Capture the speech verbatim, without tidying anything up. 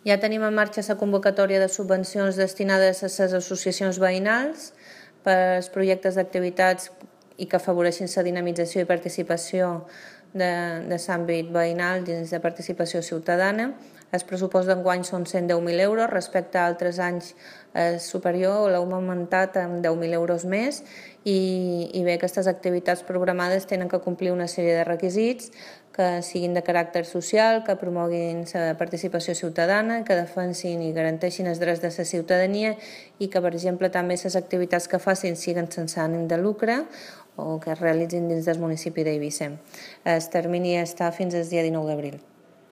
Ja tenim en marxa la convocatòria de subvencions destinades a les associacions veïnals per als projectes d'activitats i que afavoreixin la dinamització i participació de, de l'àmbit veïnal dins de participació ciutadana. El pressupost d'enguany són cent deu mil euros, respecte a altres anys és superior, l'hem augmentat amb deu mil euros més i, i bé, aquestes activitats programades tenen que complir una sèrie de requisits que siguin de caràcter social, que promoguin la participació ciutadana, que defensin i garanteixin els drets de la ciutadania i que, per exemple, també les activitats que facin siguin sense ànim de lucre o que es realitzin dins del municipi d'Eivissa. El termini està fins al dia dinou d'abril.